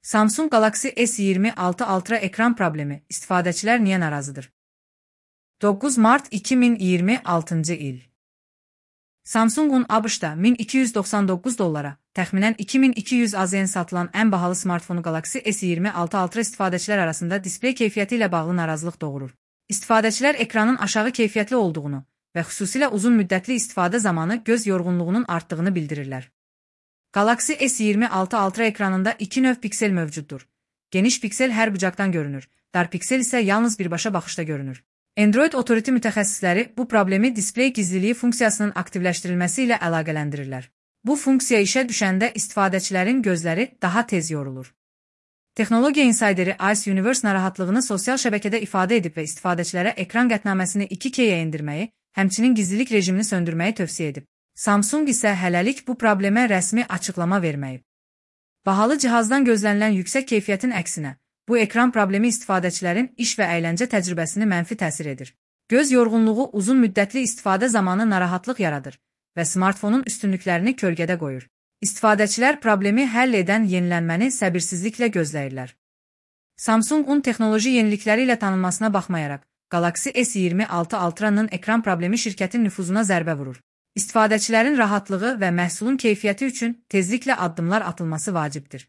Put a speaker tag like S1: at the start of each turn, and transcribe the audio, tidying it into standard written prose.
S1: Samsung Galaxy S26 Ultra ekran problemi, istifadəçilər niyə narazıdır? 9 mart 2026-cı il. Samsung'un ABŞ-da $1299, təxminən 2200 AZN satılan ən bahalı smartfonu Galaxy S26 Ultra istifadəçilər arasında displey keyfiyyəti ilə bağlı narazılıq doğurur. İstifadəçilər ekranın aşağı keyfiyyətli olduğunu və xüsusilə uzun müddətli istifadə zamanı göz yorğunluğunun artdığını bildirirlər. Galaxy S26 Ultra ekranında iki növ piksel mövcuddur. Geniş piksel hər bucaqdan görünür, dar piksel isə yalnız birbaşa baxışda görünür. Android otorite mütəxəssisləri bu problemi displey gizliliyi funksiyasının aktivləşdirilməsi ilə əlaqələndirirlər. Bu funksiya işə düşəndə istifadəçilərin gözləri daha tez yorulur. Texnologiya insayderi Ice Universe narahatlığını sosial şəbəkədə ifadə edib və istifadəçilərə ekran qətnaməsini 2K-yə endirməyi, həmçinin gizlilik rejimini söndürməyi tövsiyə edib. Samsung isə hələlik bu problemə rəsmi açıqlama verməyib. Bahalı cihazdan gözlənilən yüksək keyfiyyətin əksinə, bu ekran problemi istifadəçilərin iş və əyləncə təcrübəsini mənfi təsir edir. Göz yorğunluğu uzun müddətli istifadə zamanı narahatlıq yaradır və smartfonun üstünlüklərini kölgədə qoyur. İstifadəçilər problemi həll edən yenilənməni səbirsizliklə gözləyirlər. Samsung'un texnoloji yenilikləri ilə tanınmasına baxmayaraq, Galaxy S26 Ultra'nın ekran problemi şirkətin nüfuzuna zərbə vurur. İstifadəçilərin rahatlığı və məhsulun keyfiyyəti üçün tezliklə addımlar atılması vacibdir.